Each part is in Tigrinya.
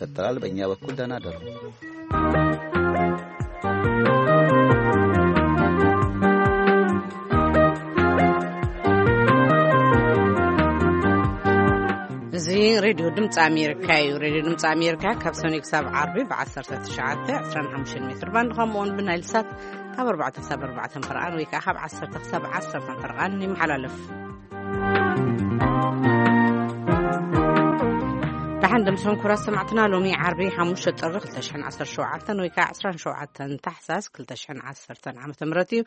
ይቀጥላል። በእኛ በኩል ደህና ደሩ። እዚ ሬድዮ ድምፂ ኣሜሪካ እዩ። ሬድዮ ድምፂ ኣሜሪካ ካብ ሰኑይ ክሳብ ዓርቢ ብ19፣ 25 ሜትር ባንድ፣ ከምኡ እውን ብናይል ሳት ካብ 4 ክሳብ 4 ፈርቓን ወይ ከዓ ካብ 10 ክሳብ 10 ፈርቓን ይመሓላለፍ። ደሓን ደምስኹም ክቡራት ሰማዕትና፣ ሎሚ ዓርቢ ሓሙሽተ ጥሪ ክልተ ሽሕን ዓሰርተ ሸውዓተን ወይ ከዓ ዕስራን ሸውዓተን ታሕሳስ ክልተ ሽሕን ዓሰርተን ዓመተ ምህረት እዩ።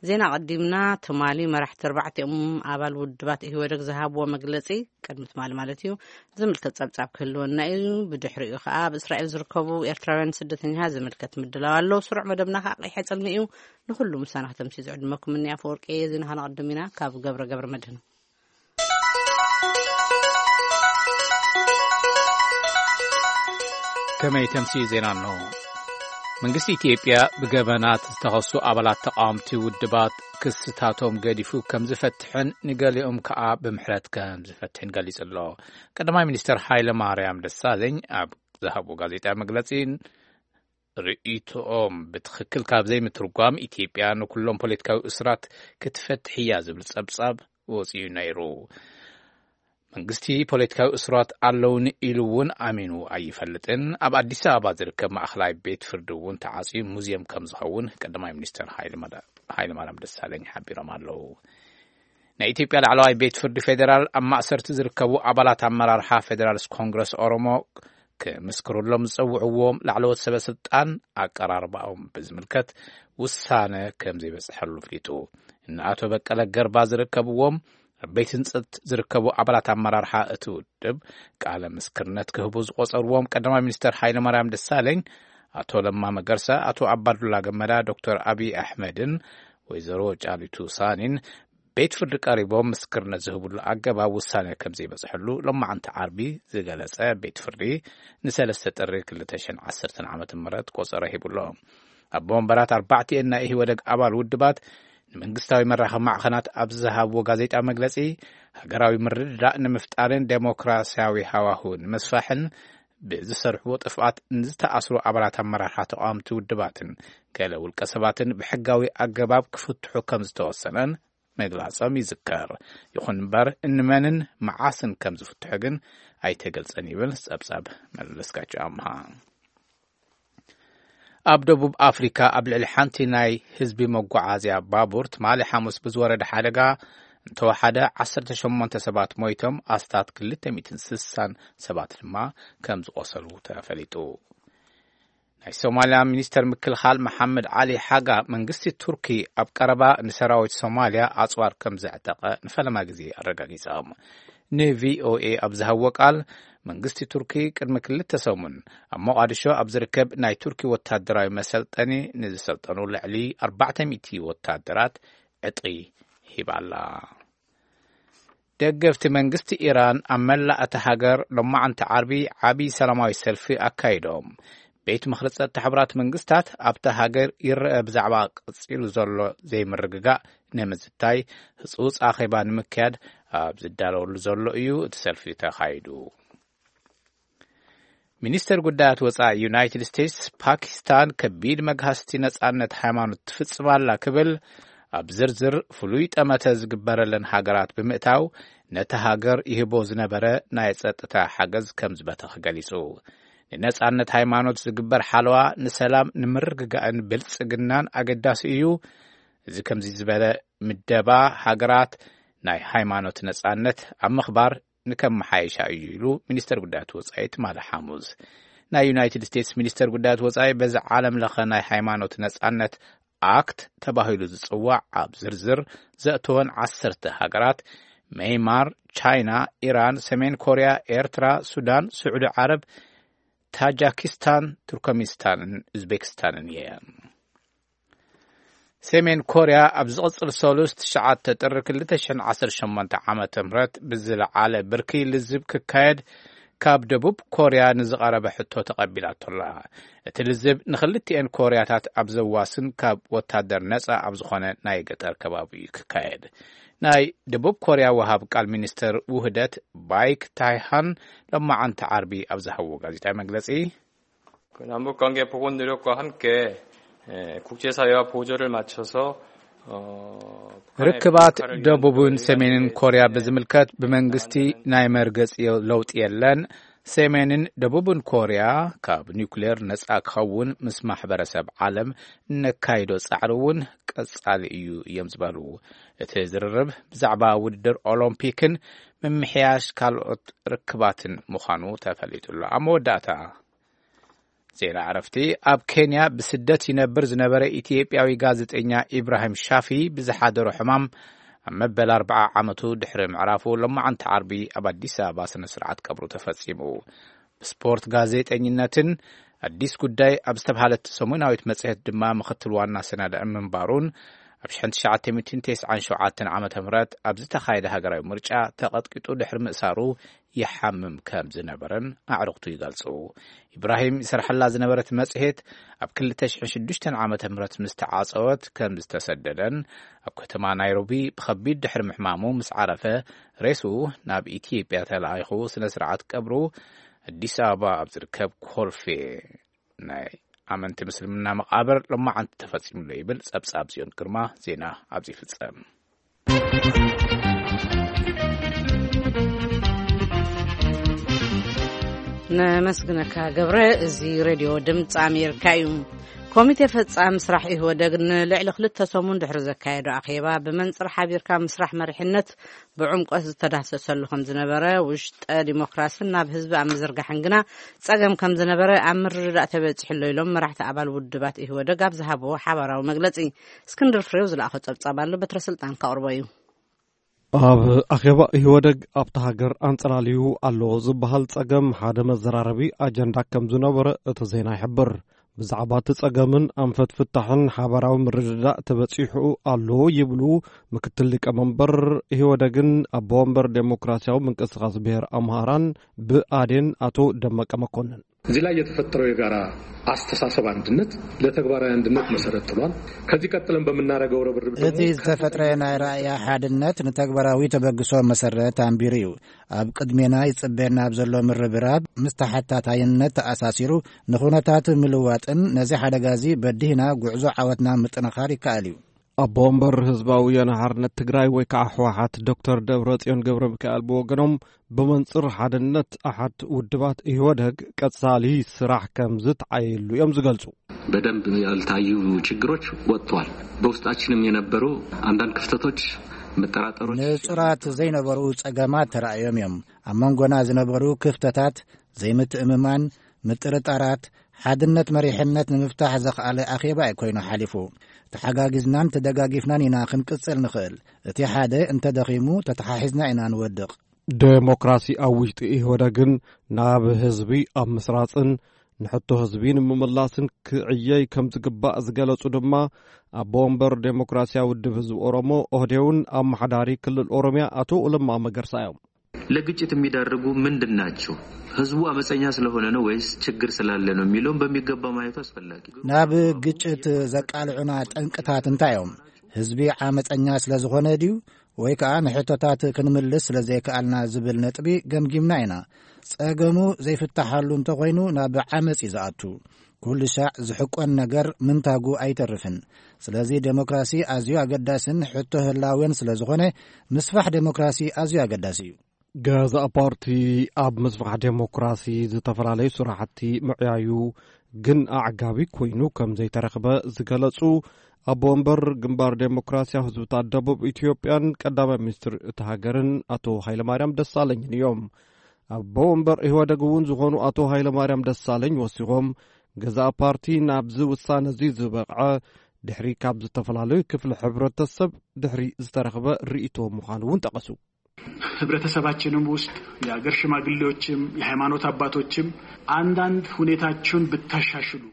ዜና ቀዲምና፣ ትማሊ መራሕቲ ኣርባዕቲኦም ኣባል ውድባት ኢህወደግ ዝሃብዎ መግለጺ፣ ቅድሚ ትማሊ ማለት እዩ፣ ዝምልከት ጸብጻብ ክህልወና እዩ። ብድሕሪኡ ከኣ ኣብ እስራኤል ዝርከቡ ኤርትራውያን ስደተኛታት ዝምልከት ምድላው ኣሎ። ስሩዕ መደብና ከኣ ቀይሐ ጽልሚ እዩ። ንኹሉ ምሳና ከተምሲ ዝዕድመኩም እኒ ኣፈወርቂ እየ። ዜና ከነቐድም ኢና ካብ ገብረ ገብረ መድህን። ከመይ ተምሲ ዜና ኣሎ። መንግስቲ ኢትዮጵያ ብገበናት ዝተኸሱ ኣባላት ተቃወምቲ ውድባት ክስታቶም ገዲፉ ከም ዝፈትሕን ንገሊኦም ከኣ ብምሕረት ከም ዝፈትሕን ገሊጹ ኣሎ። ቀዳማይ ሚኒስትር ሃይለ ማርያም ደሳለኝ ኣብ ዝሃቦ ጋዜጣ መግለጺ፣ ርእይቶኦም ብትኽክል ካብ ዘይምትርጓም፣ ኢትዮጵያ ንኩሎም ፖለቲካዊ እስራት ክትፈትሕ እያ ዝብል ጸብጻብ ወጺኡ ነይሩ። መንግስቲ ፖለቲካዊ እስራት ኣለውኒ ኢሉ እውን ኣሚኑ ኣይፈልጥን። ኣብ ኣዲስ ኣበባ ዝርከብ ማእኸላይ ቤት ፍርዲ እውን ተዓጽዩ ሙዚየም ከም ዝኸውን ቀዳማይ ሚኒስትር ሃይለ ማርያም ደሳለኝ ሓቢሮም ኣለዉ። ናይ ኢትዮጵያ ላዕለዋይ ቤት ፍርዲ ፌዴራል ኣብ ማእሰርቲ ዝርከቡ ኣባላት ኣመራርሓ ፌዴራልስ ኮንግረስ ኦሮሞ ክምስክሩሎም ዝጸውዕዎም ላዕለዎት ሰበ ስልጣን ኣቀራርባኦም ብዝምልከት ውሳነ ከም ዘይበጽሐሉ ኣፍሊጡ። እነ ኣቶ በቀለ ገርባ ዝርከብዎም ኣብ ቤት ህንጸት ዝርከቡ ኣባላት ኣመራርሓ እቲ ውድብ ቃለ ምስክርነት ክህቡ ዝቆጸርዎም ቀዳማይ ሚኒስትር ሃይለ ማርያም ደሳለኝ፣ ኣቶ ለማ መገርሳ፣ ኣቶ ኣባዱላ ገመዳ፣ ዶክተር ኣብይ ኣሕመድን ወይዘሮ ጫሊቱ ሳኒን ቤት ፍርዲ ቀሪቦም ምስክርነት ዝህብሉ ኣገባብ ውሳነ ከም ዘይበጽሐሉ ሎማዓንቲ ዓርቢ ዝገለጸ ቤት ፍርዲ፣ ንሰለስተ ጥሪ ክልተ ሽሕን ዓሰርተን ዓመተ ምህረት ቆጸሮ ሂቡሎ። ኣቦ ወንበራት ኣርባዕቲኤን ናይ ኢህወደግ ኣባል ውድባት ንመንግስታዊ መራኸቢ ማዕኸናት ኣብ ዝሃብዎ ጋዜጣ መግለጺ፣ ሃገራዊ ምርድዳእ ንምፍጣርን ዴሞክራሲያዊ ሃዋሁ ንምስፋሕን ብዝሰርሕዎ ጥፍኣት ንዝተኣስሩ ኣባላት ኣመራርሓ ተቃወምቲ ውድባትን ገለ ውልቀ ሰባትን ብሕጋዊ ኣገባብ ክፍትሑ ከም ዝተወሰነን ምግላጾም ይዝከር። ይኹን እምበር፣ እንመንን መዓስን ከም ዝፍትሑ ግን ኣይተገልጸን ይብል ጸብጻብ መለስካቸው ኣምሃ። ኣብ ደቡብ ኣፍሪካ ኣብ ልዕሊ ሓንቲ ናይ ህዝቢ መጓዓዝያ ባቡር ትማሊ ሓሙስ ብዝወረደ ሓደጋ እንተወሓደ ዓሰርተ ሸሞንተ ሰባት ሞይቶም፣ ኣስታት ክልተ ሚእትን ስሳን ሰባት ድማ ከም ዝቆሰሉ ተፈሊጡ። ናይ ሶማልያ ሚኒስተር ምክልኻል መሓመድ ዓሊ ሓጋ፣ መንግስቲ ቱርኪ ኣብ ቀረባ ንሰራዊት ሶማልያ ኣጽዋር ከም ዘዕጠቐ ንፈለማ ግዜ ኣረጋጊጾም። ንቪኦኤ ኣብ ዝሃብዎ ቃል፣ መንግስቲ ቱርኪ ቅድሚ ክልተ ሰሙን ኣብ ሞቓዲሾ ኣብ ዝርከብ ናይ ቱርኪ ወታደራዊ መሰልጠኒ ንዝሰልጠኑ ልዕሊ ኣርባዕተ ሚእቲ ወታደራት ዕጥቂ ሂባ ኣላ። ደገፍቲ መንግስቲ ኢራን ኣብ መላእ እታ ሃገር ሎማዓንቲ ዓርቢ ዓቢ ሰላማዊ ሰልፊ ኣካይዶም። ቤት ምኽሪ ጸጥታ ሕቡራት መንግስታት ኣብታ ሃገር ይረአ ብዛዕባ ቀጺሉ ዘሎ ዘይምርግጋእ ንምዝታይ ህጹጽ ኣኼባ ንምክያድ ኣብ ዝዳለወሉ ዘሎ እዩ እቲ ሰልፊ ተኻይዱ። ሚኒስተር ጉዳያት ወጻኢ ዩናይትድ ስቴትስ፣ ፓኪስታን ከቢድ መግሃስቲ ነጻነት ሃይማኖት ትፍጽም ኣላ ክብል ኣብ ዝርዝር ፍሉይ ጠመተ ዝግበረለን ሃገራት ብምእታው፣ ነቲ ሃገር ይህቦ ዝነበረ ናይ ጸጥታ ሓገዝ ከም ዝበተኽ ገሊጹ። ንነጻነት ሃይማኖት ዝግበር ሓለዋ ንሰላም፣ ንምርግጋእን ብልጽግናን ኣገዳሲ እዩ። እዚ ከምዚ ዝበለ ምደባ ሃገራት ናይ ሃይማኖት ነጻነት ኣብ ምኽባር ንከመሓየሻ እዩ ኢሉ ሚኒስተር ጉዳያት ወጻኢ ትማሊ ሓሙስ። ናይ ዩናይትድ ስቴትስ ሚኒስተር ጉዳያት ወጻኢ፣ በዚ ዓለም ለኸ ናይ ሃይማኖት ነጻነት ኣክት ተባሂሉ ዝጽዋዕ ኣብ ዝርዝር ዘእተወን ዓሰርተ ሃገራት፣ መይማር፣ ቻይና፣ ኢራን፣ ሰሜን ኮርያ፣ ኤርትራ፣ ሱዳን፣ ስዑዲ ዓረብ፣ ታጃኪስታን፣ ቱርኮሚስታንን ኡዝቤክስታንን እየን። ሰሜን ኮርያ ኣብ ዝቕጽል ሰሉስ ትሽዓተ ጥሪ ክልተ ሽሕን ዓሰርተ ሸሞንተ ዓመተ ምህረት ብዝለዓለ ብርኪ ልዝብ ክካየድ ካብ ደቡብ ኮርያ ንዝቐረበ ሕቶ ተቐቢላቶ ኣላ። እቲ ልዝብ ንኽልቲኤን ኮርያታት ኣብ ዘዋስን ካብ ወታደር ነጻ ኣብ ዝኾነ ናይ ገጠር ከባቢ እዩ ክካየድ። ናይ ደቡብ ኮርያ ወሃብ ቃል ሚኒስተር ውህደት ባይክ ታይሃን ሎማዓንቲ ዓርቢ ኣብ ዝሃብዎ ጋዜጣዊ መግለጺ፣ 그 남북 관계 복원 노력과 함께 에, 국제사회와 보조를 맞춰서 어, 북한의 ርክባት 역할을 위한 ደቡብን 노력을 ሰሜንን 하는데 ኮርያ ብዝምልከት ብመንግስቲ ናይ መርገጺ ለውጢ የለን። ሰሜንን ደቡብን ኮርያ ካብ ኒውክሌር ነጻ ክኸውን ምስ ማሕበረሰብ ዓለም እነካይዶ ጻዕሪ እውን ቀጻሊ እዩ እዮም ዝበሉ። እቲ ዝርርብ ብዛዕባ ውድድር ኦሎምፒክን ምምሕያሽ ካልኦት ርክባትን ምዃኑ ተፈሊጡ ኣሎ። ኣብ መወዳእታ ዜና ዕረፍቲ። ኣብ ኬንያ ብስደት ይነብር ዝነበረ ኢትዮጵያዊ ጋዜጠኛ ኢብራሂም ሻፊ ብዝሓደሮ ሕማም ኣብ መበል ኣርብዓ ዓመቱ ድሕሪ ምዕራፉ ሎማዓንቲ ዓርቢ ኣብ ኣዲስ ኣበባ ስነ ስርዓት ቀብሩ ተፈጺሙ። ብስፖርት ጋዜጠኝነትን ኣዲስ ጉዳይ ኣብ ዝተባሃለት ሰሙናዊት መጽሔት ድማ ምኽትል ዋና ሰናዳኢ ምንባሩን ኣብ ሽሕን ትሽዓተ ሚእትን ተስዓን ሸውዓተን ዓመተ ምህረት ኣብ ዝተኻየደ ሃገራዊ ምርጫ ተቐጥቂጡ ድሕሪ ምእሳሩ ይሓምም ከም ዝነበረን ኣዕሩኽቱ ይገልጹ። ኢብራሂም ይሰርሐላ ዝነበረት መጽሔት ኣብ ክልተ ሽሕን ሽዱሽተን ዓመተ ምህረት ምስ ተዓጸወት ከም ዝተሰደደን ኣብ ከተማ ናይሮቢ ብኸቢድ ድሕሪ ምሕማሙ ምስ ዓረፈ ሬስኡ ናብ ኢትዮጵያ ተላኢኹ ስነ ስርዓት ቀብሩ ኣዲስ ኣበባ ኣብ ዝርከብ ኮልፌ ናይ ኣመንቲ ምስልምና መቓብር ሎማዓንቲ ተፈጺሙሎ ይብል ጸብጻብ ጽዮን ግርማ። ዜና ኣብዚ ይፍጸም። ነመስግነካ ገብረ። እዚ ሬድዮ ድምፂ ኣሜሪካ እዩ። ኮሚቴ ፈጻሚ ስራሕ ኢህወደግ ንልዕሊ ክልተ ሰሙን ድሕሪ ዘካየዶ ኣኼባ ብመንፅር ሓቢርካ ምስራሕ መሪሕነት ብዕምቆት ዝተዳህሰሰሉ ከም ዝነበረ፣ ውሽጠ ዲሞክራስን ናብ ህዝቢ ኣብ ምዝርጋሕን ግና ጸገም ከም ዝነበረ ኣብ ምርድዳእ ተበጺሑ ኣሎ ኢሎም መራሕቲ ኣባል ውድባት ኢህወደግ ኣብ ዝሃብዎ ሓባራዊ መግለጺ። እስክንድር ፍሬው ዝለኣኾ ጸብጻብ ኣሎ፣ በትረ ስልጣን ከቕርቦ እዩ። ኣብ ኣኼባ ኢህወደግ ኣብታ ሃገር ኣንጸላልዩ ኣሎ ዝበሃል ጸገም ሓደ መዘራረቢ ኣጀንዳ ከም ዝነበረ እቲ ዜና ይሕብር። ብዛዕባ እቲ ጸገምን ኣንፈት ፍታሕን ሓባራዊ ምርድዳእ ተበጺሑ ኣሎ ይብሉ ምክትል ሊቀመንበር ኢህወደግን ኣቦ ወንበር ዴሞክራሲያዊ ምንቅስቃስ ብሔር ኣምሃራን ብኣዴን ኣቶ ደመቀ መኮንን። እዚህ ላይ የተፈጠረው የጋራ አስተሳሰብ አንድነት ለተግባራዊ አንድነት መሰረት ጥሏል። ከዚህ ቀጥለን በምናደርገው ርብርብ ደግሞ እቲ ዝተፈጥረ ናይ ራእያ ሓድነት ንተግባራዊ ተበግሶ መሰረት ኣንቢሩ እዩ። ኣብ ቅድሜና ይጽበየና ኣብ ዘሎ ምርብራብ ምስ ተሓታታይነት ተኣሳሲሩ ንኹነታት ምልዋጥን ነዚ ሓደጋ እዚ በዲህና ጉዕዞ ዓወትና ምጥንኻር ይከኣል እዩ። ኣቦ ወንበር ህዝባዊ ወያነ ሓርነት ትግራይ ወይ ከዓ ህወሓት ዶክተር ደብረጽዮን ገብረ ሚካኤል ብወገኖም ብመንፅር ሓድነት ኣሓት ውድባት ኢህወደግ ቀጻሊ ስራሕ ከም ዝተዓየሉ እዮም ዝገልጹ። በደንብ ያልታዩ ችግሮች ወጥተዋል። በውስጣችንም የነበሩ አንዳንድ ክፍተቶች፣ መጠራጠሮች፣ ንጹራት ዘይነበሩ ጸገማት ተራእዮም እዮም። ኣብ መንጎና ዝነበሩ ክፍተታት፣ ዘይምትእምማን፣ ምጥርጣራት፣ ሓድነት መሪሕነት ንምፍታሕ ዘኽኣለ ኣኼባ እዩ ኮይኑ ሓሊፉ። ተሓጋጊዝናን ተደጋጊፍናን ኢና ክንቅጽል ንኽእል። እቲ ሓደ እንተደኺሙ ተተሓሒዝና ኢና ንወድቕ። ዴሞክራሲ ኣብ ውሽጢ ኢህወደግን ናብ ህዝቢ ኣብ ምስራጽን ንሕቶ ህዝቢ ንምምላስን ክዕየይ ከም ዝግባእ ዝገለጹ ድማ ኣቦ ወንበር ዴሞክራሲያዊ ውድብ ህዝቢ ኦሮሞ ኦህዴውን ኣመሓዳሪ ክልል ኦሮሚያ ኣቶ ለማ መገርሳ እዮም። ለግጭት የሚዳርጉ ምንድን ናቸው? ህዝቡ አመፀኛ ስለሆነ ነው ወይስ ችግር ስላለ ነው የሚለውን በሚገባ ማየቱ አስፈላጊ ነው። ናብ ግጭት ዘቃልዑና ጠንቅታት እንታይ እዮም? ህዝቢ ዓመፀኛ ስለ ዝኾነ ድዩ? ወይ ከዓ ንሕቶታት ክንምልስ ስለ ዘይከኣልና ዝብል ነጥቢ ገምጊምና ኢና። ጸገሙ ዘይፍታሓሉ እንተኾይኑ ናብ ዓመፅ እዩ ዝኣቱ። ኩሉ ሻዕ ዝሕቆን ነገር ምንታጉ ኣይተርፍን። ስለዚ ዴሞክራሲ ኣዝዩ ኣገዳስን ሕቶ ህላዌን ስለ ዝኾነ ምስፋሕ ዴሞክራሲ ኣዝዩ ኣገዳሲ እዩ። ገዛእ ፓርቲ ኣብ ምስፋሕ ዴሞክራሲ ዝተፈላለዩ ስራሕቲ ምዕያዩ ግን ኣዕጋቢ ኮይኑ ከም ዘይተረኽበ ዝገለጹ ኣቦ ወንበር ግንባር ዴሞክራሲያዊ ህዝብታት ደቡብ ኢትዮጵያን ቀዳማይ ሚኒስትር እቲ ሃገርን ኣቶ ሃይለማርያም ደሳለኝን እዮም። ኣቦ ወንበር ኢህወደግ እውን ዝኾኑ ኣቶ ሃይለማርያም ደሳለኝ ወሲኾም ገዛእ ፓርቲ ናብዚ ውሳነ እዚ ዝበቕዐ ድሕሪ ካብ ዝተፈላለዩ ክፍሊ ሕብረተሰብ ድሕሪ ዝተረኽበ ርእይቶ ምዃኑ እውን ጠቐሱ። ህብረተሰባችንም ውስጥ የአገር ሽማግሌዎችም የሃይማኖት አባቶችም አንዳንድ ሁኔታችሁን ብታሻሽሉ።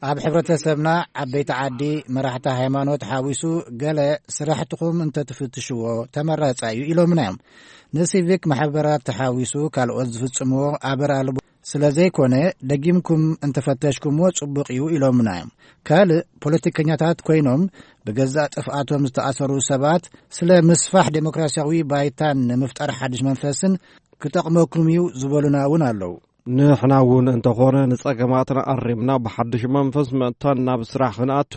ኣብ ሕብረተሰብና ዓበይቲ ዓዲ መራሕቲ ሃይማኖት ሓዊሱ ገለ ስራሕትኹም እንተትፍትሽዎ ተመራጻ እዩ ኢሎምና እዮም። ንሲቪክ ማሕበራት ተሓዊሱ ካልኦት ዝፍጽምዎ ኣበር ኣልቦ ስለ ዘይኮነ፣ ደጊምኩም እንተፈተሽኩምዎ ጽቡቕ እዩ ኢሎምና እዮም። ካልእ፣ ፖለቲከኛታት ኮይኖም ብገዛእ ጥፍኣቶም ዝተኣሰሩ ሰባት፣ ስለ ምስፋሕ ዴሞክራሲያዊ ባይታን ንምፍጣር ሓድሽ መንፈስን ክጠቕመኩም እዩ ዝበሉና እውን ኣለዉ። ንሕና እውን እንተኾነ፣ ንጸገማትና ኣሪምና ብሓድሽ መንፈስ መጥታን ናብ ስራሕ ክንኣቱ፣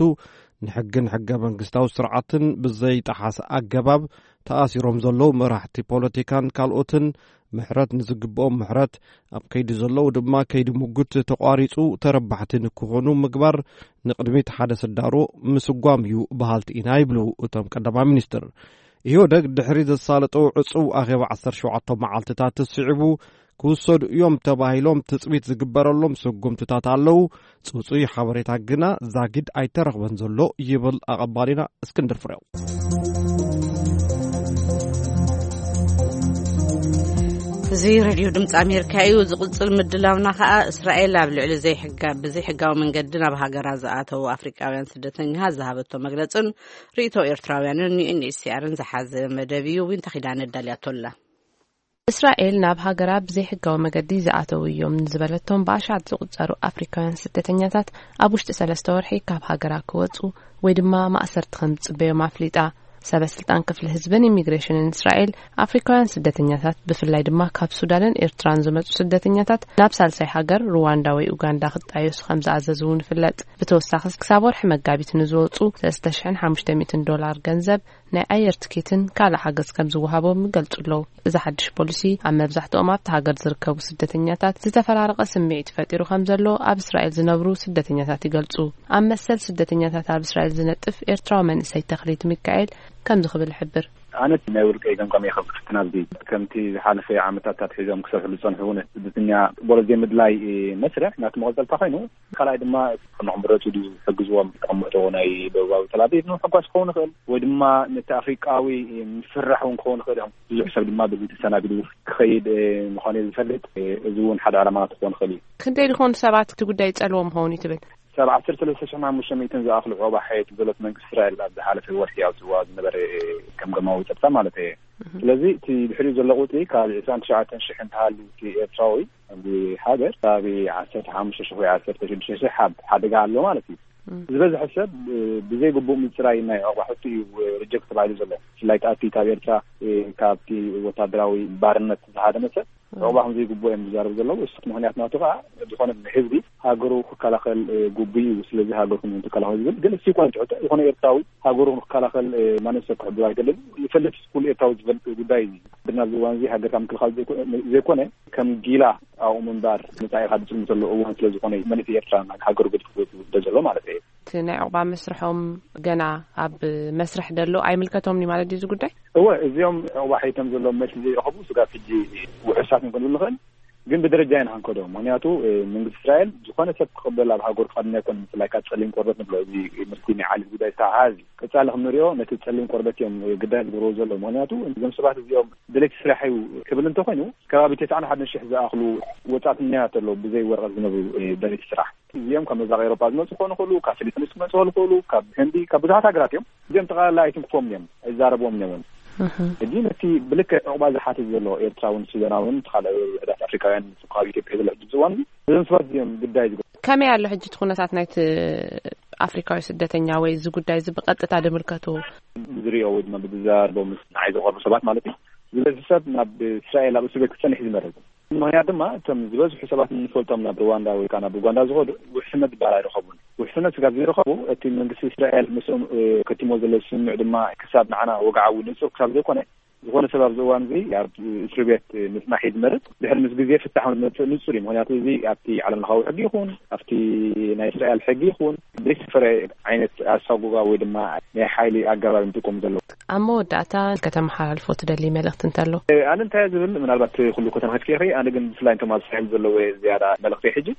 ንሕግን ሕገ መንግስታዊ ስርዓትን ብዘይጠሓስ ኣገባብ ተኣሲሮም ዘለዉ መራሕቲ ፖለቲካን ካልኦትን ምሕረት ንዝግብኦም ምሕረት፣ ኣብ ከይዲ ዘለዉ ድማ ከይዲ ምጉት ተቋሪጹ ተረባሕቲ ንክኾኑ ምግባር፣ ንቕድሚት ሓደ ስዳሮ ምስጓም እዩ በሃልቲ ኢና ይብሉ እቶም ቀዳማይ ሚኒስትር። ኢህወደግ ድሕሪ ዘሳለጦ ዕጹው ኣኼባ ዓሰርተ ሸውዓተ መዓልትታት ስዒቡ ክውሰዱ እዮም ተባሂሎም ትጽቢት ዝግበረሎም ስጉምትታት ኣለዉ። ጽጹይ ሓበሬታ ግና ዛጊድ ኣይተረኽበን ዘሎ ይብል ኣቐባሊና እስክንድር ፍሬው። እዚ ሬድዮ ድምፂ ኣሜሪካ እዩ። ዝቕፅል ምድላውና ከዓ እስራኤል ኣብ ልዕሊ ዘይሕጋ ብዘይሕጋዊ መንገዲ ናብ ሃገራ ዝኣተዉ ኣፍሪቃውያን ስደተኛታት ዝሃበቶ መግለፅን ርእይቶ ኤርትራውያንን ዩኤንኤችሲኣርን ዝሓዘ መደብ እዩ። ዊንታ ኪዳነ ኣዳልያቶላ። እስራኤል ናብ ሃገራ ብዘይሕጋዊ መገዲ ዝኣተዉ እዮም ንዝበለቶም ብኣሻት ዝቑጸሩ ኣፍሪካውያን ስደተኛታት ኣብ ውሽጢ ሰለስተ ወርሒ ካብ ሃገራ ክወጹ ወይ ድማ ማእሰርቲ ከም ዝጽበዮም ኣፍሊጣ። ሰበ ስልጣን ክፍሊ ህዝብን ኢሚግሬሽንን እስራኤል ኣፍሪካውያን ስደተኛታት ብፍላይ ድማ ካብ ሱዳንን ኤርትራን ዝመጹ ስደተኛታት ናብ ሳልሳይ ሃገር ሩዋንዳ ወይ ኡጋንዳ ክጣየሱ ከም ዝኣዘዙ እውን ይፍለጥ። ብተወሳኺ ክሳብ ወርሒ መጋቢት ንዝወጹ ሰለስተ ሽሕን ሓሙሽተ ሚእትን ዶላር ገንዘብ ናይ ኣየር ትኬትን ካልእ ሓገዝ ከም ዝወሃቦም ይገልጹ ኣለዉ። እዚ ሓድሽ ፖሊሲ ኣብ መብዛሕትኦም ኣብቲ ሃገር ዝርከቡ ስደተኛታት ዝተፈራረቐ ስምዒት ፈጢሩ ከም ዘሎ ኣብ እስራኤል ዝነብሩ ስደተኛታት ይገልጹ። ኣብ መሰል ስደተኛታት ኣብ እስራኤል ዝነጥፍ ኤርትራዊ መንእሰይ ተኽሊት ሚካኤል ከምዚ ክብል ይሕብር። ኣነ ናይ ውልቀይ ገምጋም እየ ከብቅፍትና ኣብዚ ከምቲ ዝሓለፈ ዓመታት ኣትሒዞም ክሰርሕሉ ዝጸንሑ እውን ስደተኛ ቦሎ ዘይምድላይ መስርሕ ናቲ መቐጸልታ ኮይኑ ካልኣይ ድማ ንክምረፁ ድዩ ዝሕግዝዎም ተቐምጦ ናይ ደቡባዊ ተላቪቭ ንምሕጓስ ክኸውን ይኽእል ወይ ድማ ነቲ ኣፍሪቃዊ ምፍራሕ እውን ክኸውን ይኽእል እዮም። ብዙሕ ሰብ ድማ በዚ ተሰናቢዱ ክኸይድ ምዃኑ ዝፈልጥ እዚ እውን ሓደ ዕላማና ክኸውን ይኽእል እዩ። ክንደይ ዝኾኑ ሰባት እቲ ጉዳይ ይጸልዎም ኸውን እዩ ትብል? ሰብ ዓሰርተ ሰለስተ ሽሕን ሓሙሽተ ሚእትን ዝኣኽሉ ዑቕባ ሓየት ዘሎት መንግስቲ እስራኤል ኣብ ዝሓለፈ ወርሒ ኣውፅዋ ዝነበረ ከም ገማዊ ፀጥታ ማለት እየ። ስለዚ እቲ ድሕሪኡ ዘሎ ቁፅሪ ካብ ዕስራን ትሽዓተን ሽሕ እንተሃልዩ እቲ ኤርትራዊ ኣብዚ ሃገር ካብ ዓሰርተ ሓሙሽተ ሽሕ ወይ ዓሰርተ ሽዱሽተ ሽሕ ኣብ ሓደጋ ኣሎ ማለት እዩ። ዝበዝሐ ሰብ ብዘይ ግቡእ ምፅራይ ናይ ዑቕባ ሕቶ እዩ ሪጀክት ተባሂሉ ዘሎ። ብፍላይ እቲ ካብ ኤርትራ ካብቲ ወታደራዊ ባርነት ዝሃደመ ሰብ ዑቕባ ከም ዘይግቡእ እዮም ዝዛረቡ ዘለዉ። እሱ ምኽንያት ናቱ ከዓ ዝኾነ ህዝቢ ሃገሩ ክከላኸል ግቡእ እዩ። ስለዚ ሃገርኩም ትከላኸሉ ዝብል ግን እሱ ይኮነ ትሕቶ ዝኾነ ኤርትራዊ ሃገሩ ክከላኸል ማንም ሰብ ክሕብሮ ኣይደልን። ይፈልጥ ኩሉ ኤርትራዊ ዝፈልጥ ጉዳይ እዩ። ብና ኣብዚ እዋን እዚ ሃገርካ ምክልኻል ዘይኮነ ከም ጊላ ኣብኡ ምንባር መጻኢኻ ዝጽልም ዘሎ እዋን ስለ ዝኾነ እዩ። መንእሰይ ኤርትራ ናብ ሃገሩ ገዲፉ ክወጽእ ዘሎ ማለት እዩ። እቲ ናይ ዕቑባ መስርሖም ገና ኣብ መስርሕ ደሎ ኣይምልከቶም እዩ ማለት ድዩ እዚ ጉዳይ? እወ፣ እዚኦም ዕቑባ ሒቶም ዘለዎም መልሲ ዘይረኸቡ ስጋብ ሕጂ ውሑሳት ክንብል ንኽእል፣ ግን ብደረጃ ኢና ክንከዶ። ምኽንያቱ መንግስቲ እስራኤል ዝኾነ ሰብ ክቕበል ኣብ ሃገሩ ክቐድም ኣይኮነን። ብፍላይ ካብ ጸሊም ቆርበት ንብሎ እዚ ምስቲ ናይ ዓሊ ጉዳይ ዝተሓሓዝ እዩ። ቀጻሊ ክንሪኦ ነቲ ጸሊም ቆርበት እዮም ግዳይ ዝገብርዎ ዘለዉ። ምኽንያቱ እዞም ሰባት እዚኦም ደለይቲ ስራሕ እዩ ክብል እንተኾይኑ ከባቢ ተስዓን ሓደን ሽሕ ዝኣኽሉ ወጻእተኛታት ኣለዉ ብዘይ ወረቐት ዝነብሩ ደለይቲ ስራሕ። እዚኦም ካብ መብራቕ ኤውሮጳ ዝመጹ ክኾኑ ይኽእሉ፣ ካብ ፊሊፒንስ ክመጹ ይኽእሉ፣ ካብ ህንዲ፣ ካብ ብዙሓት ሃገራት እዮም። እዚኦም ጠቕላላ ኣይትንክፎም እዮም፣ ኣይዛረብዎም እዮም። ሕጂ ነቲ ብልክዕ ዕቑባ ዝሓትት ዘሎ ኤርትራውን ሱዳናውን ካልእ ውሕዳት ኣፍሪካውያን ካብ ኢትዮጵያ ዘሎ ሕጂ ዝዋን እዞም ሰባት እዚኦም ግዳይ ዝገ ከመይ ኣሎ ሕጂ እቲ ኩነታት ናይቲ ኣፍሪካዊ ስደተኛ ወይ እዚ ጉዳይ እዚ ብቐጥታ ድምልከቱ? ዝሪኦ ወይ ድማ ብዝዛረቦም ንዓይ ዝቐርቡ ሰባት ማለት እዩ። ዝበዝሕ ሰብ ናብ እስራኤል ኣብ እስር ቤት ክጸንሕ እዩ ዝመረጽ። ምኽንያት ድማ እቶም ዝበዝሑ ሰባት እንፈልጦም ናብ ሩዋንዳ ወይ ከዓ ናብ ኡጋንዳ ዝኸዱ ውሕስነት ዝበሃል ኣይረኸቡን። ውሕስነት ስጋብ ዘይረኸቡ እቲ መንግስቲ እስራኤል ምስኦም ከቲሞ ዘሎ ስምምዕ ድማ ክሳብ ንዓና ወግዓዊ ንጹር ክሳብ ዘይኮነ ዝኾነ ሰብ ኣብዚ እዋን እዚ ኣብ እስር ቤት ምጽናሕ እዩ ዝመርጽ። ድሕሪ ምስ ግዜ ፍታሕ ዝመጽእ ንጹር እዩ። ምኽንያቱ እዚ ኣብቲ ዓለም ለኻዊ ሕጊ ይኹን ኣብቲ ናይ እስራኤል ሕጊ ይኹን ዘይሰፈረ ዓይነት ኣሳጉጋ ወይ ድማ ናይ ሓይሊ ኣገባብ እዮም ዝጥቀሙ ዘለዉ። ኣብ መወዳእታ ከተመሓላልፎ ትደሊ መልእኽቲ እንተሎ? ኣነ እንታይ ዝብል ምናልባት ኩሉ ከተናኸፍኪ ኢኺ። ኣነ ግን ብፍላይ እንቶም ኣብ እስራኤል ዘለዉ ዝያዳ መልእኽቲ ሕጂ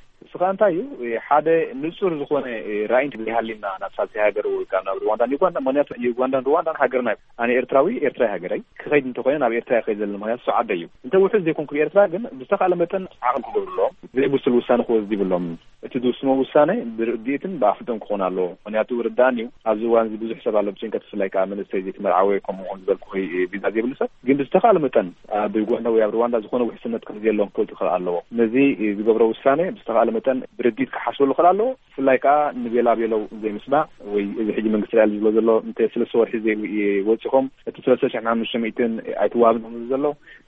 እንታይ እዩ ሓደ ንጹር ዝኾነ ራእይ እንተዘይሃልዩና ናብ ሳልሳይ ሃገር ወይ ካብ ናብ ሩዋንዳን ዩጋንዳ፣ ምኽንያቱ ዩጋንዳን ሩዋንዳን ሃገርና እዩ። ኣነ ኤርትራዊ፣ ኤርትራዊ ሃገረይ ክኸይድ እንተኾይነ ናብ ኤርትራ ይኸይድ ዘሎ፣ ምኽንያቱ እሱ ዓደይ እዩ። እንተ ውሑስ ዘይኮንኩ ብኤርትራ ግን ብዝተኻለ መጠን ዓቕሊ ክገብርሎም፣ ዘይብሱል ውሳነ ክወስድ ይብሎም። እቲ ዝውስኖ ውሳነ ብርድኢትን ብኣፍልጦን ክኾን ኣለዎ። ምኽንያቱ ርዳእን እዩ፣ ኣብዚ እዋን እዚ ብዙሕ ሰብ ኣሎ ብጭንቀት፣ ብፍላይ ከዓ መንእሰይ ዘይተመርዓወ፣ ከምኡ ውን ዝበልኩ ቪዛ ዘይብሉ ሰብ። ግን ብዝተኻለ መጠን ኣብ ዩጋንዳ ወይ ኣብ ሩዋንዳ ዝኾነ ውሕስነት ከም ዘየሎም ክፈልጡ ክኽእል ኣለዎ። ነዚ ዝገብሮ ውሳነ ብዝተኻለ መጠን ብርድኢት ክሓስበሉ ክኽእል ኣለዎ። ብፍላይ ከዓ ንቤላ ቤለው ዘይምስማዕ ወይ እዚ ሕጂ መንግስቲ እስራኤል ዝብሎ ዘሎ እንተ ሰለስተ ወርሒ ዘይወፂኹም እቲ ሰለስተ ሽሕን ሓሙሽተ ሚእትን ኣይትዋሃብን ዘሎ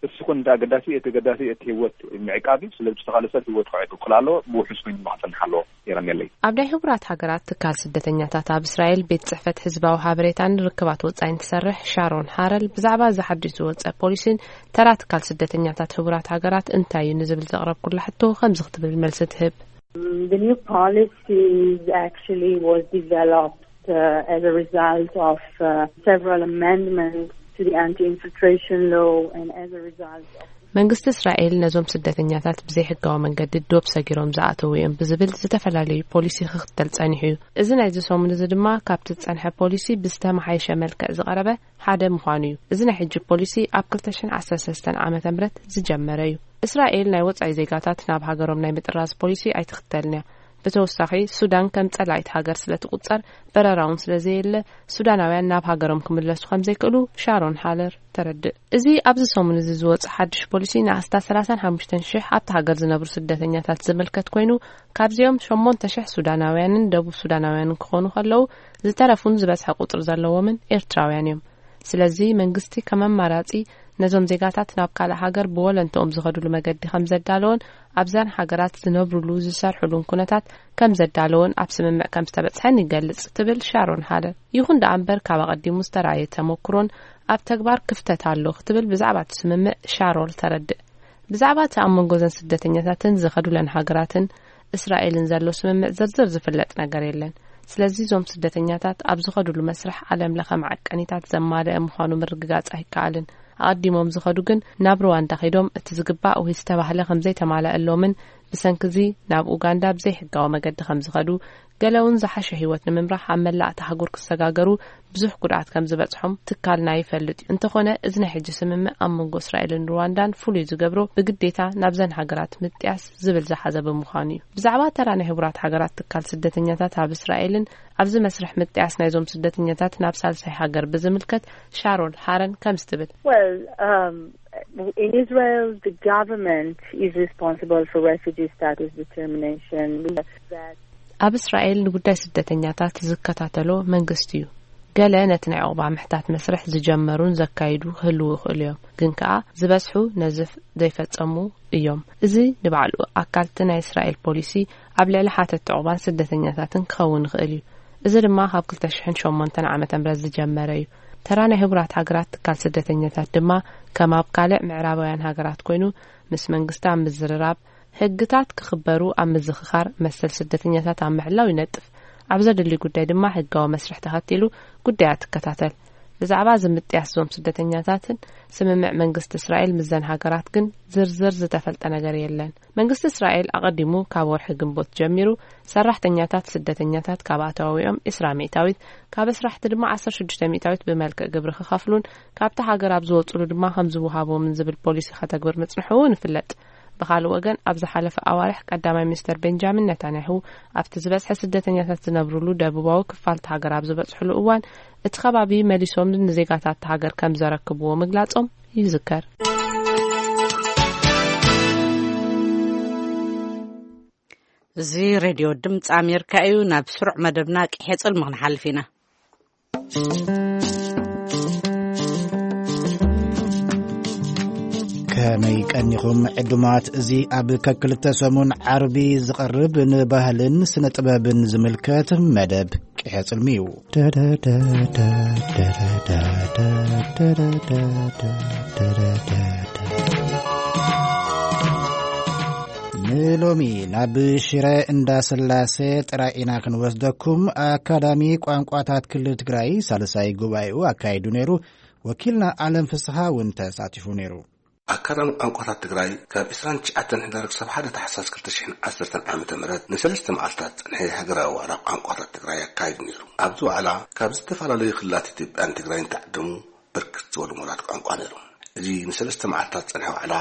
እሱ ኹን እንተ ኣገዳሲ፣ እቲ ኣገዳሲ እቲ ህይወት ምዕቃብ እዩ። ስለዚ ዝተኻለ ሰብ ህይወት ክዕቅብ ክኽእል ኣለዎ። ብውሑስ ኮይኑ ድማ ክጸንሕ ኣለዎ። የቐንየለይ። ኣብ ናይ ሕቡራት ሃገራት ትካል ስደተኛታት ኣብ እስራኤል ቤት ጽሕፈት ህዝባዊ ሓበሬታን ርክባት ወጻኢን ትሰርሕ ሻሮን ሃረል ብዛዕባ እዚ ሓድሽ ዝወጸ ፖሊሲን ተራ ትካል ስደተኛታት ሕቡራት ሃገራት እንታይ እዩ ንዝብል ዘቕረብኩላ ሕቶ ከምዚ ክትብል መልሲ ትህብ። The new policy actually was developed uh, as a result of uh, several amendments to the anti-infiltration law and as a result of መንግስቲ እስራኤል ነዞም ስደተኛታት ብዘይሕጋዊ መንገዲ ዶብ ሰጊሮም ዝኣተዉ እዮም ብዝብል ዝተፈላለዩ ፖሊሲ ክኽተል ጸኒሑ እዩ። እዚ ናይዚ ሰሙን እዚ ድማ ካብቲ ዝጸንሐ ፖሊሲ ብዝተመሓየሸ መልክዕ ዝቐረበ ሓደ ምዃኑ እዩ። እዚ ናይ ሕጂ ፖሊሲ ኣብ ክልተ ሽሕን ዓሰርተ ሰለስተን ዓመተ ምህረት ዝጀመረ እዩ። እስራኤል ናይ ወጻኢ ዜጋታት ናብ ሃገሮም ናይ ምጥራዝ ፖሊሲ ኣይትኽተልን እያ። ብተወሳኺ ሱዳን ከም ጸላኢት ሃገር ስለ ትቑጸር፣ በረራ እውን ስለ ዘየለ፣ ሱዳናውያን ናብ ሃገሮም ክምለሱ ከም ዘይክእሉ ሻሮን ሃለር ተረድእ። እዚ ኣብዚ ሰሙን እዚ ዝወጽእ ሓድሽ ፖሊሲ ንኣስታት ሰላሳን ሓሙሽተን ሽሕ ኣብቲ ሃገር ዝነብሩ ስደተኛታት ዝምልከት ኮይኑ፣ ካብዚኦም ሸሞንተ ሽሕ ሱዳናውያንን ደቡብ ሱዳናውያንን ክኾኑ ከለዉ፣ ዝተረፉን ዝበዝሐ ቁጽሪ ዘለዎምን ኤርትራውያን እዮም። ስለዚ መንግስቲ ከም ኣማራጺ ነዞም ዜጋታት ናብ ካልእ ሃገር ብወለንትኦም ዝኸድሉ መገዲ ከም ዘዳለዎን ኣብዘን ሃገራት ዝነብሩሉ ዝሰርሕሉን ኩነታት ከም ዘዳለዎን ኣብ ስምምዕ ከም ዝተበጽሐን ይገልጽ ትብል ሻሮን ሃለር። ይኹን ደኣ እምበር ካብ ኣቐዲሙ ዝተራእየ ተመኩሮን ኣብ ተግባር ክፍተት ኣሎ ክትብል ብዛዕባ እቲ ስምምዕ ሻሮል ተረድእ። ብዛዕባ እቲ ኣብ መንጎ እዘን ስደተኛታትን ዝኸዱለን ሃገራትን እስራኤልን ዘሎ ስምምዕ ዝርዝር ዝፍለጥ ነገር የለን። ስለዚ እዞም ስደተኛታት ኣብ ዝኸዱሉ መስርሕ ዓለም ለኸ መዐቀኒታት ዘማልአ ምዃኑ ምርግጋጽ ኣይከኣልን። ኣቐዲሞም ዝኸዱ ግን ናብ ሩዋንዳ ከይዶም እቲ ዝግባእ ወይ ዝተባህለ ከም ዘይተማልኣሎምን ብሰንኪ እዚ ናብ ኡጋንዳ ብዘይሕጋዊ መገዲ ከም ዝኸዱ፣ ገለ እውን ዝሓሸ ህይወት ንምምራሕ ኣብ መላእ እታ ኣህጉር ክሰጋገሩ ብዙሕ ጉድኣት ከም ዝበጽሖም ትካልና ይፈልጥ እዩ። እንተኾነ እዚ ናይ ሕጂ ስምምዕ ኣብ መንጎ እስራኤልን ሩዋንዳን ፍሉይ ዝገብሮ ብግዴታ ናብዘን ሃገራት ምጥያስ ዝብል ዝሓዘ ብምዃኑ እዩ። ብዛዕባ ተራ ናይ ሕቡራት ሃገራት ትካል ስደተኛታት ኣብ እስራኤልን ኣብዚ መስርሕ ምጥያስ ናይዞም ስደተኛታት ናብ ሳልሳይ ሃገር ብዝምልከት ሻሮን ሃረን ከምዚ ትብል። Well, um, in Israel, the government is responsible for refugee status determination. We know that ኣብ እስራኤል ንጉዳይ ስደተኛታት ዝከታተሎ መንግስቲ እዩ። ገለ ነቲ ናይ ዑቕባ ምሕታት መስርሕ ዝጀመሩን ዘካይዱ ክህልዉ ይኽእሉ እዮም፣ ግን ከኣ ዝበዝሑ ነዚ ፍ-፣ ዘይፈጸሙ እዮም። እዚ ንባዕሉ ኣካልቲ ናይ እስራኤል ፖሊሲ ኣብ ልዕሊ ሓተቲ ዑቕባን ስደተኛታትን ክኸውን ይኽእል እዩ። እዚ ድማ ካብ ክልተ ሽሕን ሸሞንተን ዓመተ ምህረት ዝጀመረ እዩ። ተራ ናይ ሕቡራት ሃገራት ትካል ስደተኛታት ድማ ከም ኣብ ካልእ ምዕራባውያን ሃገራት ኮይኑ ምስ መንግስቲ ኣብ ምዝርራብ፣ ሕግታት ክኽበሩ ኣብ ምዝኽኻር፣ መሰል ስደተኛታት ኣብ ምሕላው ይነጥፍ። ኣብ ዘድሊ ጉዳይ ድማ ሕጋዊ መስርሕ ተኸቲሉ ጉዳያት ትከታተል። ብዛዕባ እዚ ምጥያስ እዞም ስደተኛታትን ስምምዕ መንግስቲ እስራኤል ምስዘን ሃገራት ግን ዝርዝር ዝተፈልጠ ነገር የለን። መንግስቲ እስራኤል ኣቐዲሙ ካብ ወርሒ ግንቦት ጀሚሩ ሰራሕተኛታት ስደተኛታት ካብ ኣታዊኦም ዒስራ ሚእታዊት፣ ካብ ኣስራሕቲ ድማ ዓሰርተ ሽዱሽተ ሚእታዊት ብመልክዕ ግብሪ ክኸፍሉን ካብቲ ሃገር ኣብ ዝወጽሉ ድማ ከም ዝወሃቦምን ዝብል ፖሊሲ ከተግብር ምጽንሑ እውን ይፍለጥ። ብኻልእ ወገን፣ ኣብ ዝሓለፈ ኣዋርሕ ቀዳማይ ሚኒስተር ቤንጃሚን ነታንያሁ ኣብቲ ዝበዝሐ ስደተኛታት ዝነብሩሉ ደቡባዊ ክፋል እታ ሃገር ኣብ ዝበጽሕሉ እዋን፣ እቲ ከባቢ መሊሶም ንዜጋታት እታ ሃገር ከም ዘረክብዎ ምግላጾም ይዝከር። እዚ ሬድዮ ድምፂ ኣሜሪካ እዩ። ናብ ስሩዕ መደብና ቅሔ ጽልሚ ክንሓልፍ ኢና። ከመይ ቀኒኹም ዕዱማት? እዚ ኣብ ከክልተ ሰሙን ዓርቢ ዝቐርብ ንባህልን ስነ ጥበብን ዝምልከት መደብ ቅሔ ጽልሚ እዩ። ንሎሚ ናብ ሽረ እንዳ ስላሴ ጥራይ ኢና ክንወስደኩም። ኣካዳሚ ቋንቋታት ክልል ትግራይ ሳልሳይ ጉባኤኡ ኣካይዱ ነይሩ። ወኪልና ኣለም ፍስሓ እውን ተሳቲፉ ነይሩ። ኣካዳሚ ቋንቋታት ትግራይ ካብ ዕስራን ትሽዓተን ሕዳር ክሳብ ሓደ ታሕሳስ ክልተ ሽሕን ዓሰርተን ዓመተ ምህረት ንሰለስተ መዓልታት ዝጸንሐ ሃገራዊ ዋዕላ ቋንቋታት ትግራይ ኣካይዱ ነይሩ። ኣብዚ ዋዕላ ካብ ዝተፈላለዩ ክልላት ኢትዮጵያን ትግራይን ተዓደሙ ብርክት ዝበሉ ምሁራት ቋንቋ ነይሮም። እዚ ንሰለስተ መዓልታት ዝጸንሐ ዋዕላ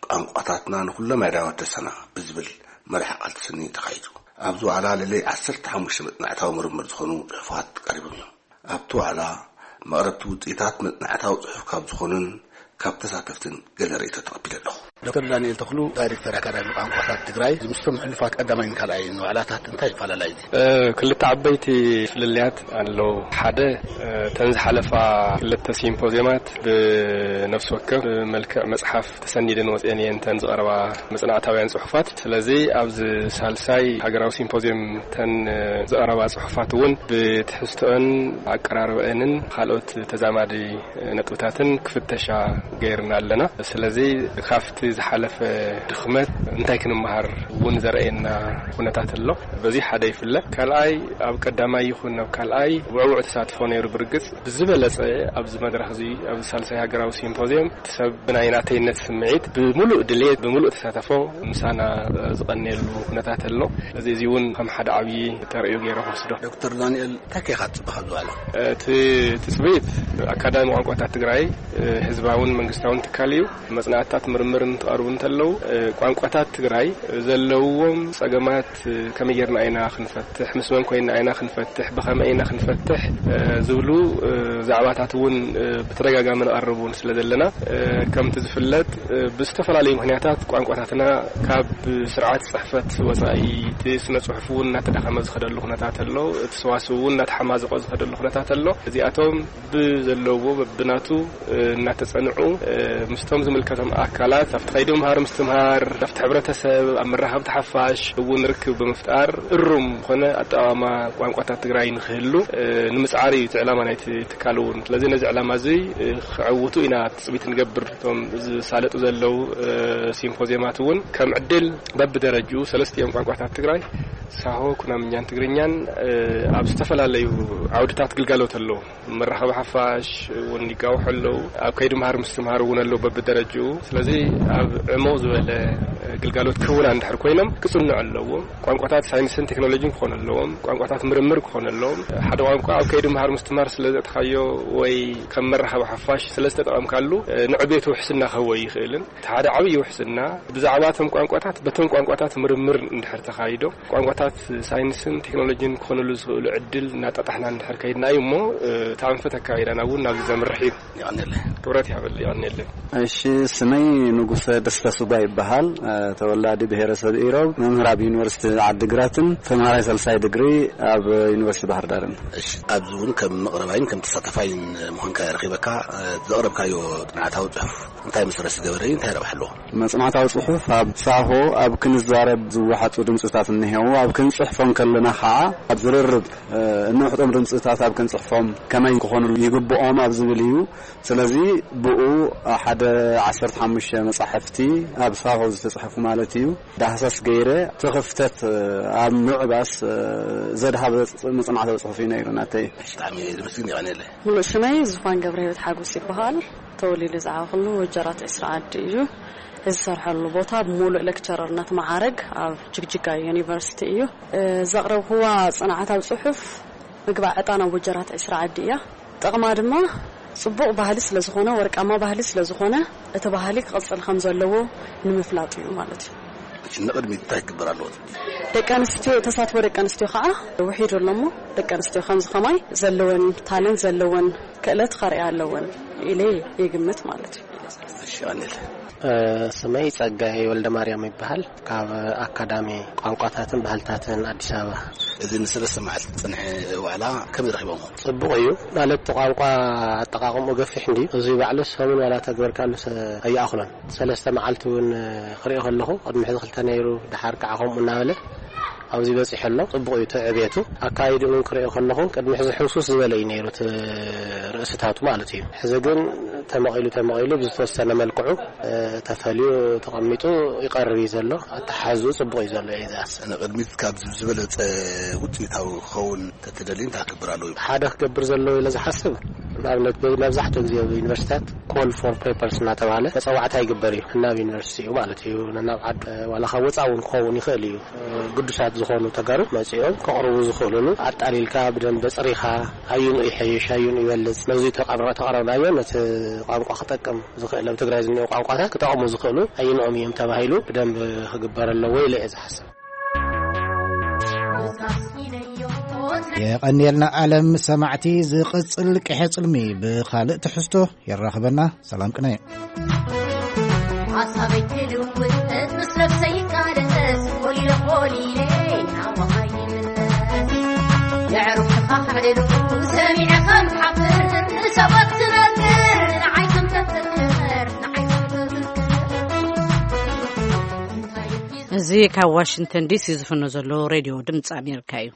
ቋንቋታትና ንኹሎም ኣእዳው ኣደሰና ብዝብል መርሒ ቃል ተሰንዩ ተኻይዱ። ኣብዚ ዋዕላ ልዕሊ ዓሰርተ ሓሙሽተ መጽናዕታዊ ምርምር ዝኾኑ ጽሑፋት ቀሪቦም እዮም። ኣብቲ ዋዕላ መቕረብቲ ውጽኢታት መጽናዕታዊ ጽሑፍ ካብ ዝኾኑን ካብ ተሳተፍትን ገለ ርእይቶ ተቐቢለ ኣለኹ። ዶክተር ዳንኤል ተኽሉ፣ ዳይሬክተር ኣካዳሚ ቋንቋታት ትግራይ፣ ምስቶም ሕሉፋት ቀዳማይን ካልኣይን ዋዕላታት እንታይ ይፈላለዩ? እ፣ ክልተ ዓበይቲ ፍልልያት ኣለዉ። ሓደ፣ እ፣ እተን ዝሓለፋ ክልተ ሲምፖዝዮማት ብነፍሲ ወከፍ ብመልክዕ መጽሓፍ ተሰኒደን ወጽኤን እየን እተን ዝቐረባ መጽናዕታውያን ጽሑፋት። ስለዚ ኣብዚ ሳልሳይ ሃገራዊ ሲምፖዝዮም እተን ዝቐረባ ጽሑፋት እውን ብትሕዝቶአን ኣቀራርበአንን ካልኦት ተዛማዲ ነጥብታትን ክፍተሻ ገይርና ኣለና። ስለዚ ካብቲ ዝሓለፈ ድኽመት እንታይ ክንመሃር እውን ዘርእየና ኩነታት ኣሎ። በዚ ሓደ ይፍለ። ካልኣይ፣ ኣብ ቀዳማይ ይኹን ኣብ ካልኣይ ውዕውዕ ተሳትፎ ነይሩ። ብርግጽ ብዝበለጸ ኣብዚ መድረኽ እዚ፣ ኣብዚ ሳልሳይ ሃገራዊ ሲምፖዝዮም፣ እቲ ሰብ ብናይ ናተይነት ስምዒት ብምሉእ ድሌት፣ ብምሉእ ተሳተፎ ምሳና ዝቐንየሉ ኩነታት ኣሎ። እዚ፣ እዚ እውን ከም ሓደ ዓብዪ ተርእዮ ገይረ ክወስዶ። ዶክተር ዳንኤል፣ እንታይ ከ ኢኻ ትጽበ ካብ ዝባዕላ? እቲ ትጽቢት ኣካዳሚ ቋንቋታት ትግራይ፣ ህዝባውን መንግስታውን ትካል እዩ። መጽናዕትታት ምርምር እንትቐርቡ እንተለዉ፣ ቋንቋታት ትግራይ ዘለውዎም ጸገማት ከመይ ጌርና ኢና ክንፈትሕ፣ ምስ መን ኮይንና ኢና ክንፈትሕ፣ ብኸመይ ኢና ክንፈትሕ፣ ዝብሉ ዛዕባታት እውን ብተደጋጋሚ ንቐርብ እውን ስለ ዘለና፣ ከምቲ ዝፍለጥ፣ ብዝተፈላለዩ ምኽንያታት ቋንቋታትና ካብ ስርዓት ጽሕፈት ወጻኢ፣ እቲ ስነ ጽሑፍ እውን እናተዳኸመ ዝኸደሉ ኩነታት ኣሎ፣ እቲ ሰዋስው እውን እናተሓማዘቆ ዝኸደሉ ኩነታት ኣሎ። እዚኣቶም ብዘለዎ በብናቱ እናተጸንዑ፣ ምስቶም ዝምልከቶም ኣካላት ኣብቲ ከይዲ ምምሃር ምስትምሃር፣ ኣብቲ ሕብረተሰብ፣ ኣብ መራኸብቲ ሓፋሽ እውን ርክብ ብምፍጣር እሩም ዝኾነ ኣጠቓቕማ ቋንቋታት ትግራይ ንክህሉ ንምጽዓር እዩ እቲ ዕላማ ናይቲ ትካል እውን። ስለዚ ነዚ ዕላማ እዚ ክዕውቱ ኢና ትጽቢት ንገብር። እቶም ዝሳለጡ ዘለዉ ሲምፖዝየማት እውን ከም ዕድል በብደረጅኡ ሰለስቲኦም ቋንቋታት ትግራይ፣ ሳሆ፣ ኩናምኛን ትግርኛን፣ ኣብ ዝተፈላለዩ ዓውድታት ግልጋሎት ኣለዉ። መራኸቢ ሓፋሽ እውን ይጋውሑ ኣለዉ። ኣብ ከይዲ ምሃር ምስትምሃር እውን ኣለዉ በብደረጅኡ። ስለዚ ኣብ ዕሙቕ ዝበለ ግልጋሎት ክህቡና እንድሕር ኮይኖም ክጽንዑ ኣለዎም። ቋንቋታት ሳይንስን ቴክኖሎጂን ክኾኑ ኣለዎም። ቋንቋታት ምርምር ክኾኑ ኣለዎም። ሓደ ቋንቋ ኣብ ከይዲ ምሃር ምስትምሃር ስለ ዘእተኻዮ ወይ ከም መራኸቢ ሓፋሽ ስለ ዝተጠቐምካሉ፣ ንዕቤቱ ውሕስና ክህቦ ይኽእልን። እቲ ሓደ ዓብዪ ውሕስና፣ ብዛዕባ እቶም ቋንቋታት፣ በቶም ቋንቋታት ምርምር እንድሕር ተኻይዶ፣ ቋንቋታት ሳይንስን ቴክኖሎጂን ክኾኑሉ ዝኽእሉ ዕድል እናጣጣሕና እንድሕር ከይድና እዩ እሞ፣ እቲ ኣንፈት ኣካይዳና እውን ናብዚ ዘምርሕ እዩ። የቐንየለይ። ክብረት ይሃበለይ፣ የቐንየለይ። እሺ፣ ስመይ ንጉሰ ደስታ ሱጋ ይበሃል። ተወላዲ ብሄረሰብ ኢሮብ፣ መምህር ኣብ ዩኒቨርሲቲ ዓዲግራትን ተምሃራይ ሳልሳይ ድግሪ ኣብ ዩኒቨርሲቲ ባህር ዳርን። እሺ፣ ኣብዚ እውን ከም መቕረባይን ከም ተሳታፋይን ምዃንካ ረኺበካ፣ ዘቕረብካዮ ጥንዓታዊ ጽሑፍ እንታይ መሰረት ዝገበረ እዩ? እንታይ ረብሓ ኣለዎ? መጽናዕታዊ ጽሑፍ ኣብ ሳሆ ኣብ ክንዛረብ ዝወሓጡ ድምጽታት እንሄው፣ ኣብ ክንጽሕፎም ከለና ኸዓ ኣብ ዝርርብ፣ እ፣ እነውሕጦም ድምጽታት ኣብ ክንጽሕፎም ከመይ ክኾኑ ይግብኦም ኣብ ዝብል እዩ። ስለዚ ብኡ ሓደ ዓሰርተ ሓሙሽተ መጻሕፍቲ ኣብ ሳሆ ዝተጻሕፉ ማለት እዩ። ዳህሳስ ገይረ እቲ ክፍተት፣ እ፣ ኣብ ምዕባስ፣ እ፣ ዘድሃበ ጽ-፣ መጽናዕታዊ ጽሑፍ እዩ ነይሩ ናተይ። ብጣዕሚ ዝምስግን ይቐንየለይ። ሙሉእ ስመይ ዝፋን ገብረ ህይወት ሓጎስ ይበሃል። ተወሊዱ ዝዓበኹሉ ወጀራት ዕስራ ዓዲ እዩ። እዚ ዝሰርሐሉ ቦታ ብምሉእ ሌክቸረርነት መዓረግ ኣብ ጅግጅጋ ዩኒቨርሲቲ እዩ። እ፣ ዘቕረብክዋ ጽንዓታዊ ጽሑፍ ምግባእ ዕጣን ኣብ ወጀራት ዕስራ ዓዲ እያ። ጥቕማ ድማ ጽቡቕ ባህሊ ስለ ዝኾነ፣ ወርቃማ ባህሊ ስለ ዝኾነ፣ እቲ ባህሊ ክቕጽል ከም ዘለዎ ንምፍላጥ እዩ ማለት እዩ። እሺ፣ ንቕድሚት እንታይ ክግበር ኣለዎ ትብሊ? ደቂ ኣንስትዮ፣ ተሳትፎ ደቂ ኣንስትዮ ከዓ ውሒዱ ኣሎ እሞ፣ ደቂ ኣንስትዮ ከምዚ ከማይ ዘለወን ታለንት፣ ዘለወን ክእለት ከርእያ ኣለወን ኢለ ይግምት ማለት እዩ። እሺ፣ ኣኔል። እ፣ ስመይ ጸጋይ ወልደ ማርያም ይበሃል። ካብ ኣካዳሚ ቋንቋታትን ባህልታትን ኣዲስ ኣበባ። እዚ ንሰለስተ መዓልቲ ዝጸንሐ ዋዕላ ከመይ ረኺቦሞ? ጽቡቕ እዩ። ማለት እቲ ቋንቋ ኣጠቓቕምኡ ገፊሕ እንድዩ። እዚ ባዕሉ ሰሙን ዋላ ተግበርካሉ ሰ-፣ ኣይኣኽሎን። ሰለስተ መዓልቲ እውን ክሪኦ ከለኹ፣ ቅድሚ ሕዚ ክልተ ነይሩ፣ ደሓር ከዓ ከምኡ እናበለ ኣብዚ በጺሑ ኣሎ። ጽቡቕ እዩ እቲ ዕቤቱ። ኣካይድኡ እውን ክሪኦ ከለኹ፣ ቅድሚ ሕዚ ሕውሱስ ዝበለ እዩ ነይሩ እቲ ርእስታቱ ማለት እዩ። ሕዚ ግን ተመቒሉ ተመቒሉ ብዝተወሰነ መልክዑ፣ እ፣ ተፈልዩ ተቐሚጡ ይቐርብ እዩ ዘሎ። ኣተሓሕዝኡ ጽቡቕ እዩ ዘሎ እዩ ዝኣስ። ንቕድሚት ካብ ዝበለጸ ውጽኢታዊ ክኸውን ተትደሊ እንታይ ክገብር ኣለዎ? ሓደ ክገብር ዘለዎ ኢለ ዝሓስብ፣ ንኣብነት፣ መብዛሕትኡ ግዜ ኣብ ዩኒቨርሲታት ኮል ፎር ፔፐርስ እናተባሃለ መጸዋዕታ ይግበር እዩ። ናብ ዩኒቨርሲቲ እዩ ማለት እዩ። ናብ ዓድ፣ ዋላ ካብ ወጻኢ እውን ክኸውን ይኽእል እዩ። ግዱሳት ዝኾኑ ተጋሩ መጺኦም ከቕርቡ ዝኽእሉሉ፣ ኣጣሊልካ ብደንብ ጽሪኻ፣ ኣዩን ይሐይሽ፣ ኣዩን ይበልጽ፣ ነዚ ተቐረ-፣ ተቐረብናዮ፣ ነቲ ቋንቋ ክጠቅም ዝኽእል፣ ኣብ ትግራይ ዝኒኦ ቋንቋታት ክጠቕሙ ዝኽእሉ ኣዩንኦም እዮም ተባሂሉ ብደንብ ክግበር ኣለዎ ኢለ እየ ዝሓስብ። የቐንየልና። ዓለም ሰማዕቲ፣ ዝቕጽል ቅሐ ጽልሚ ብኻልእ ትሕዝቶ የራኽበና። ሰላም ቅነ። ሓሳበይ ክልውጥ ምስ ነብሰይ ይቃለስ፣ ኮሊለ ኮሊለ ናባኻ ይምለስ። የዕሩኽትኻ ክዕልሉ ሰሚዐ ከም ሓፍር፣ ንሰባት ትነግር፣ ንዓይ ከም ተፍቅር፣ ንዓይ ከም ተፍቅር። እዚ ካብ ዋሽንግተን ዲሲ ዝፍኖ ዘሎ ሬድዮ ድምፂ ኣሜሪካ እዩ።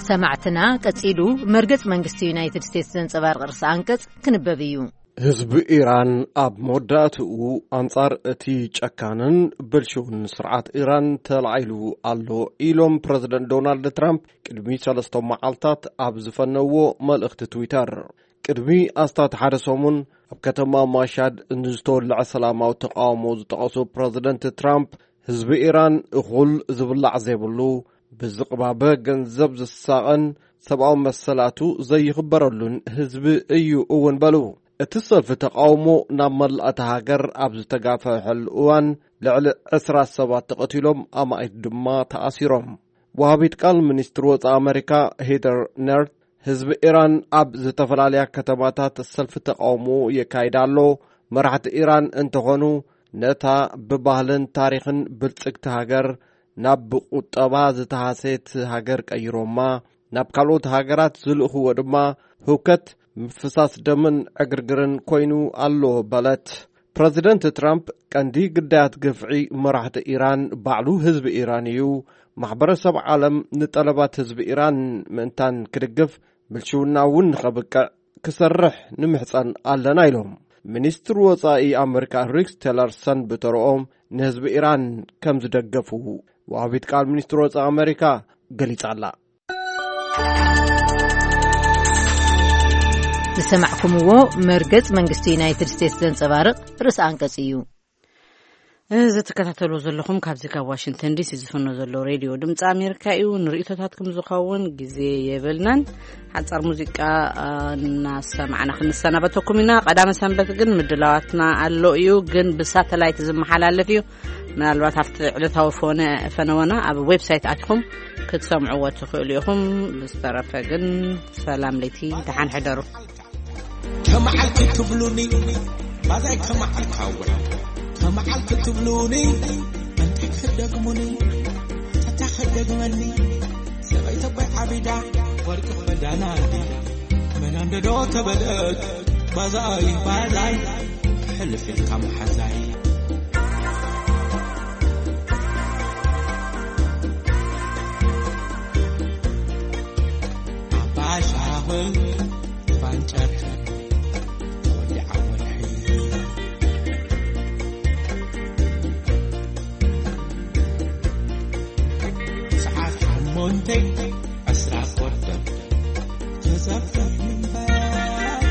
ሰማዕትና፣ ቀጺሉ መርገጽ መንግስቲ ዩናይትድ ስቴትስ ዘንጸባርቕ ርእሰ ኣንቀጽ ክንበብ እዩ። ህዝቢ ኢራን ኣብ መወዳእትኡ ኣንጻር እቲ ጨካንን ብልሽውን ስርዓት ኢራን ተላዒሉ ኣሎ ኢሎም ፕረዚደንት ዶናልድ ትራምፕ ቅድሚ ሰለስተ መዓልታት ኣብ ዝፈነዎ መልእኽቲ ትዊተር። ቅድሚ ኣስታት ሓደ ሰሙን ኣብ ከተማ ማሻድ ንዝተወልዐ ሰላማዊ ተቃውሞ ዝጠቐሱ ፕረዚደንት ትራምፕ፣ ህዝቢ ኢራን እኹል ዝብላዕ ዘይብሉ፣ ብዝቕባበ ገንዘብ ዝሳቐን፣ ሰብኣዊ መሰላቱ ዘይኽበረሉን ህዝቢ እዩ እውን በሉ። እቲ ሰልፊ ተቃውሞ ናብ መላእ እታ ሃገር ኣብ ዝተጋፈሐሉ እዋን ልዕሊ ዕስራ ሰባት ተቐቲሎም፣ ኣማኢት ድማ ተኣሲሮም። ወሃቢት ቃል ሚኒስትሪ ወጻኢ ኣመሪካ ሄደር ነርት፣ ህዝቢ ኢራን ኣብ ዝተፈላለያ ከተማታት ሰልፊ ተቃውሞ የካይድ ኣሎ። መራሕቲ ኢራን እንተኾኑ፣ ነታ ብባህልን ታሪኽን ብልጽግቲ ሃገር ናብ ብቁጠባ ዝተሃሰየት ሃገር ቀይሮማ፣ ናብ ካልኦት ሃገራት ዝልእኽዎ ድማ ህውከት፣ ምፍሳስ ደምን ዕግርግርን ኮይኑ ኣሎ በለት። ፕረዚደንት ትራምፕ፣ ቀንዲ ግዳያት ግፍዒ መራሕቲ ኢራን ባዕሉ ህዝቢ ኢራን እዩ። ማሕበረሰብ ዓለም ንጠለባት ህዝቢ ኢራን ምእንታን ክድግፍ፣ ብልሽውና እውን ንኸብቅዕ ክሰርሕ ንምሕጸን ኣለና ኢሎም። ሚኒስትር ወጻኢ ኣመሪካ ሪክስ ቴለርሰን ብተረኦም፣ ንህዝቢ ኢራን ከም ዝደገፉ ወሃቢት ቃል ሚኒስትር ወጻኢ ኣመሪካ ገሊጻ ኣላ። ዝሰማዕኩምዎ መርገጽ መንግስቲ ዩናይትድ ስቴትስ ዘንጸባርቕ ርእሰ ኣንቀጽ እዩ። እዚ ትከታተሉ ዘለኹም ካብዚ ካብ ዋሽንግተን ዲሲ ዝፍኖ ዘሎ ሬድዮ ድምፂ ኣሜሪካ እዩ። ንርእይቶታትኩም ዝኸውን ግዜ የብልናን። ሓጻር ሙዚቃ፣ አ፣ እናሰማዕና ክንሰናበተኩም ኢና። ቀዳመ ሰንበት ግን ምድላዋትና ኣሎ እዩ፣ ግን ብሳተላይት ዝመሓላለፍ እዩ። ምናልባት ኣብቲ ዕለታዊ ፎነ-፣ ፈነወና ኣብ ዌብሳይት ኣትኹም ክትሰምዕዎ ትኽእሉ ኢኹም። ብዝተረፈ ግን ሰላም ለይቲ፣ ደሓን ሕደሩ። ከመዓልቲ ትብሉኒ ባዛይ ከመዓልቲ ሃወይ፣ ከመዓልቲ ትብሉኒ እንታይ ክደግሙኒ፣ ተታ ክደግመኒ። ሰበይተ ኣቦይ ዓቢዳ ወርቂ ክዳና እንዲ መናንደዶ ተበለት ባዛይ ባዛይ ሕልፍ ኢልካ መሓዛይ። ኣባሻኽን ፋንጨርትን ተወዲዓ ወርሒ ሰዓት ሸሞንተ ዕስራ ኮርደር ተዘፍዘፍ እምበር።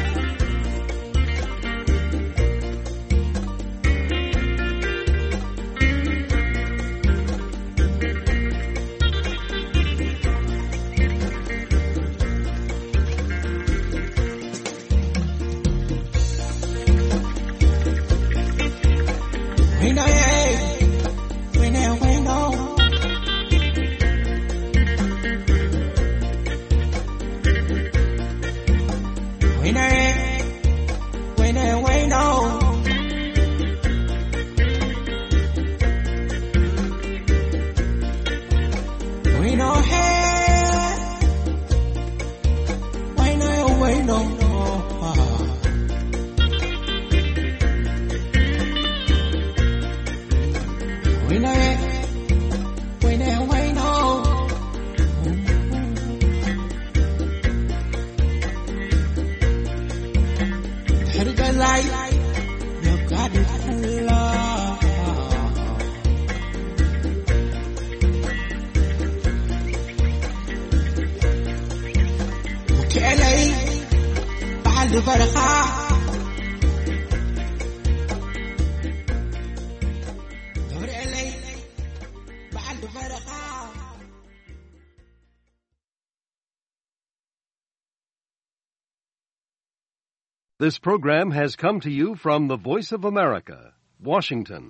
ፈረኻ ገብርኤለይ በዓል ፈረኻ This program has come to you from the Voice of America, Washington.